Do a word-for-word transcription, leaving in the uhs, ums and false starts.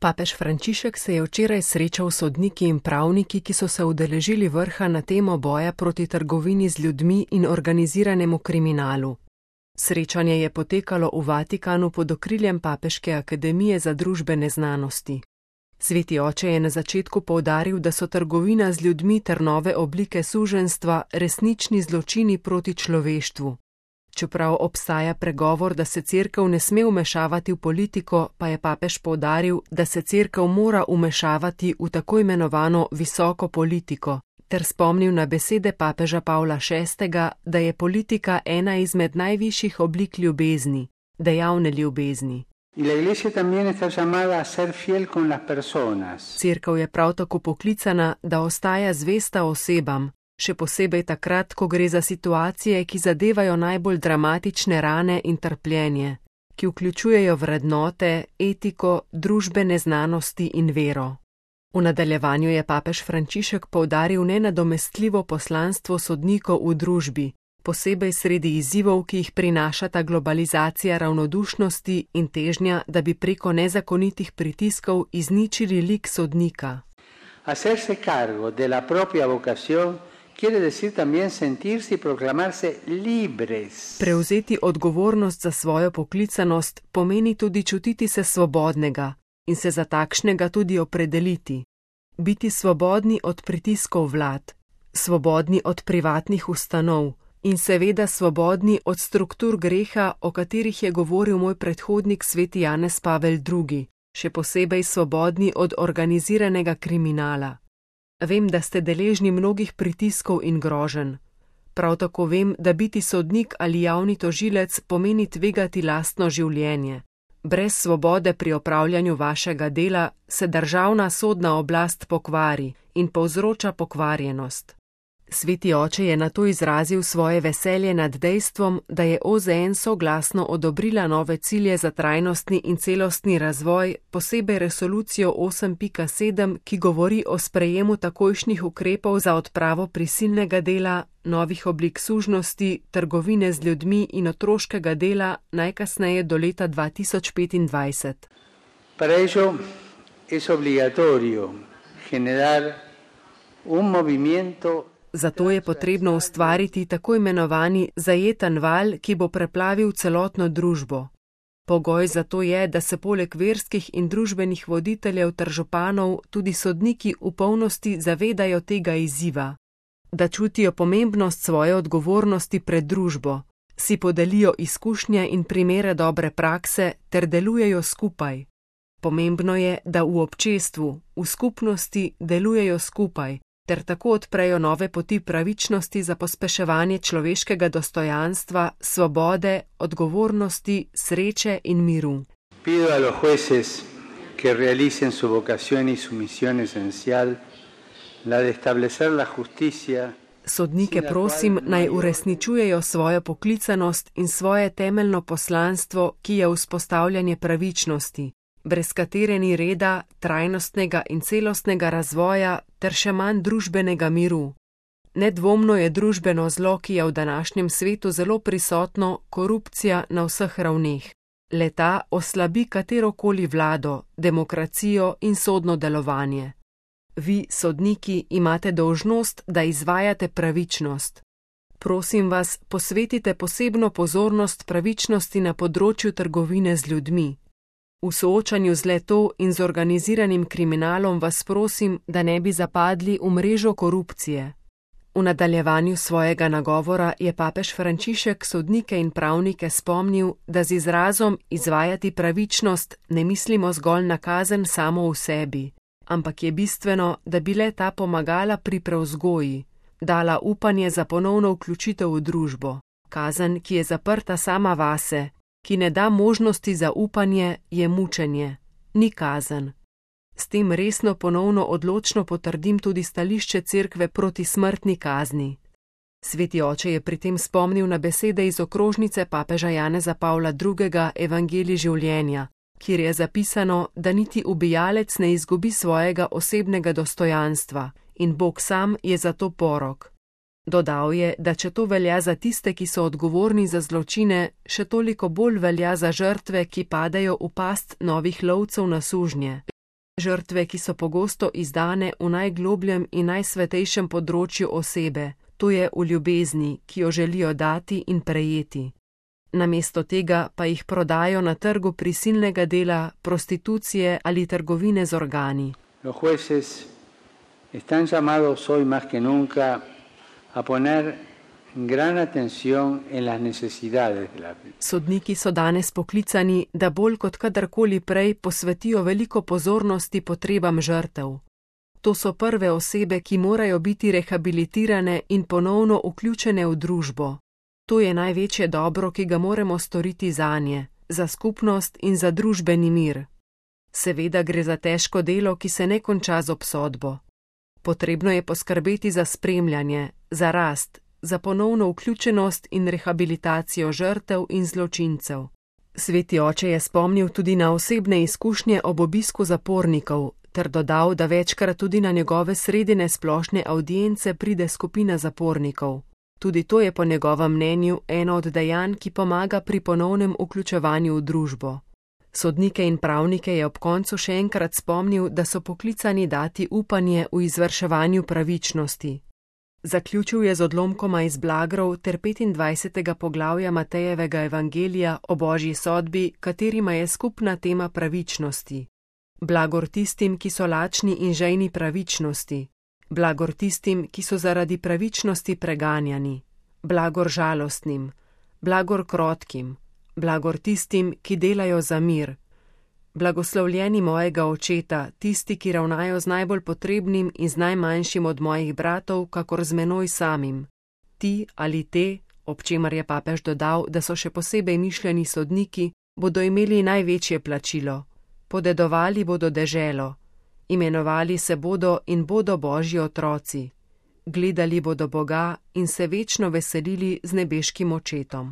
Papež Frančišek se je včeraj srečal s sodniki in pravniki, ki so se udeležili vrha na temo boja proti trgovini z ljudmi in organiziranemu kriminalu. Srečanje je potekalo v Vatikanu pod okriljem Papeške akademije za družbene znanosti. Sveti oče je na začetku poudaril, da so trgovina z ljudmi ter nove oblike suženjstva resnični zločini proti človeštvu. Čeprav obstaja pregovor, da se cerkev ne sme vmešavati v politiko, pa je papež poudaril, da se cerkev mora vmešavati v tako imenovano visoko politiko, ter spomnil na besede papeža Pavla šestega, da je politika ena izmed najvišjih oblik ljubezni, dejavne ljubezni. Cerkev je prav tako poklicana, da ostaja zvesta osebam, še posebej takrat, ko gre za situacije, ki zadevajo najbolj dramatične rane in trpljenje, ki vključujejo vrednote, etiko, družbene znanosti in vero. V nadaljevanju je papež Frančišek poudaril nenadomestljivo poslanstvo sodnikov v družbi, posebej sredi izzivov, ki jih prinašata globalizacija ravnodušnosti in težnja, da bi preko nezakonitih pritiskov izničili lik sodnika. Hacerse cargo de la propia vocación quiere decir también sentirse y proclamarse libres. Prevzeti odgovornost za svojo poklicanost pomeni tudi čutiti se svobodnega in se za takšnega tudi opredeliti. Biti svobodni od pritiskov vlad, svobodni od privatnih ustanov in seveda svobodni od struktur greha, o katerih je govoril moj predhodnik sveti Janez Pavel drugi, še posebej svobodni od organiziranega kriminala. Vem, da ste deležni mnogih pritiskov in groženj. Prav tako vem, da biti sodnik ali javni tožilec pomeni tvegati lastno življenje. Brez svobode pri opravljanju vašega dela se državna sodna oblast pokvari in povzroča pokvarjenost. Sveti oče je nato izrazil svoje veselje nad dejstvom, da je O Z N soglasno odobrila nove cilje za trajnostni in celostni razvoj, posebej resolucijo osem pika sedem, ki govori o sprejemu takojšnjih ukrepov za odpravo prisilnega dela, novih oblik sužnosti, trgovine z ljudmi in otroškega dela najkasneje do leta dva tisoč petindvajset. Para ello es obligatorio generar un movimiento. Zato je potrebno ustvariti tako imenovani zajeten val, ki bo preplavil celotno družbo. Pogoj za to je, da se poleg verskih in družbenih voditeljev ter županov tudi sodniki v polnosti zavedajo tega izziva. Da čutijo pomembnost svoje odgovornosti pred družbo, si podelijo izkušnje in primere dobre prakse ter delujejo skupaj. Pomembno je, da v občestvu, v skupnosti delujejo skupaj, ter tako odprejo nove poti pravičnosti za pospeševanje človeškega dostojanstva, svobode, odgovornosti, sreče in miru. Pido a los jueces que realicen su vocación y su misión esencial, la de establecer la justicia. Sodnike prosim, naj uresničujejo svojo poklicanost in svoje temeljno poslanstvo, ki je vzpostavljanje pravičnosti, brez katere ni reda, trajnostnega in celostnega razvoja ter še manj družbenega miru. Nedvomno je družbeno zlo, ki je v današnjem svetu zelo prisotno, korupcija na vseh ravneh. Le-ta oslabi katerokoli vlado, demokracijo in sodno delovanje. Vi, sodniki, imate dolžnost, da izvajate pravičnost. Prosim vas, posvetite posebno pozornost pravičnosti na področju trgovine z ljudmi. V soočanju z le-to in z organiziranim kriminalom vas prosim, da ne bi zapadli v mrežo korupcije. V nadaljevanju svojega nagovora je papež Frančišek sodnike in pravnike spomnil, da z izrazom izvajati pravičnost ne mislimo zgolj na kazen samo v sebi, ampak je bistveno, da bi le-ta pomagala pri prevzgoji, dala upanje za ponovno vključitev v družbo. Kazen, ki je zaprta sama vase, ki ne da možnosti za upanje, je mučenje, ni kazen. S tem resno ponovno odločno potrdim tudi stališče cerkve proti smrtni kazni. Sveti oče je pri tem spomnil na besede iz okrožnice papeža Janeza Pavla drugega Evangelij življenja, kjer je zapisano, da niti ubijalec ne izgubi svojega osebnega dostojanstva in Bog sam je za to porok. Dodal je, da če to velja za tiste, ki so odgovorni za zločine, še toliko bolj velja za žrtve, ki padajo v past novih lovcev na sužnje. Žrtve, ki so pogosto izdane v najglobljem in najsvetejšem področju osebe, to je v ljubezni, ki jo želijo dati in prejeti. Namesto tega pa jih prodajo na trgu prisilnega dela, prostitucije ali trgovine z organi. Los jueces están llamados hoy más que nunca a poner gran atención en las necesidades de la vida. Sodniki so danes poklicani, da bolj kot kadarkoli prej posvetijo veliko pozornosti potrebam žrtev. To so prve osebe, ki morajo biti rehabilitirane in ponovno vključene v družbo. To je največje dobro, ki ga moramo storiti zanje, za skupnost in za družbeni mir. Seveda gre za težko delo, ki se ne konča z obsodbo. Potrebno je poskrbeti za spremljanje, za rast, za ponovno vključenost in rehabilitacijo žrtev in zločincev. Sveti oče je spomnil tudi na osebne izkušnje ob obisku zapornikov, ter dodal, da večkrat tudi na njegove sredine splošne avdience pride skupina zapornikov. Tudi to je po njegovem mnenju eno od dejanj, ki pomaga pri ponovnem vključevanju v družbo. Sodnike in pravnike je ob koncu še enkrat spomnil, da so poklicani dati upanje v izvrševanju pravičnosti. Zaključil je z odlomkoma iz Blagrov ter petindvajsetega poglavja Matejevega evangelija o božji sodbi, katerima je skupna tema pravičnosti. Blagor tistim, ki so lačni in žejni pravičnosti. Blagor tistim, ki so zaradi pravičnosti preganjani. Blagor žalostnim. Blagor krotkim. Blagor tistim, ki delajo za mir. Blagoslovljeni mojega očeta, tisti, ki ravnajo z najbolj potrebnim in z najmanjšim od mojih bratov, kakor z menoj samim. Ti ali te, ob čemer je papež dodal, da so še posebej mišljeni sodniki, bodo imeli največje plačilo. Podedovali bodo deželo. Imenovali se bodo in bodo božji otroci. Gledali bodo Boga in se večno veselili z nebeškim očetom.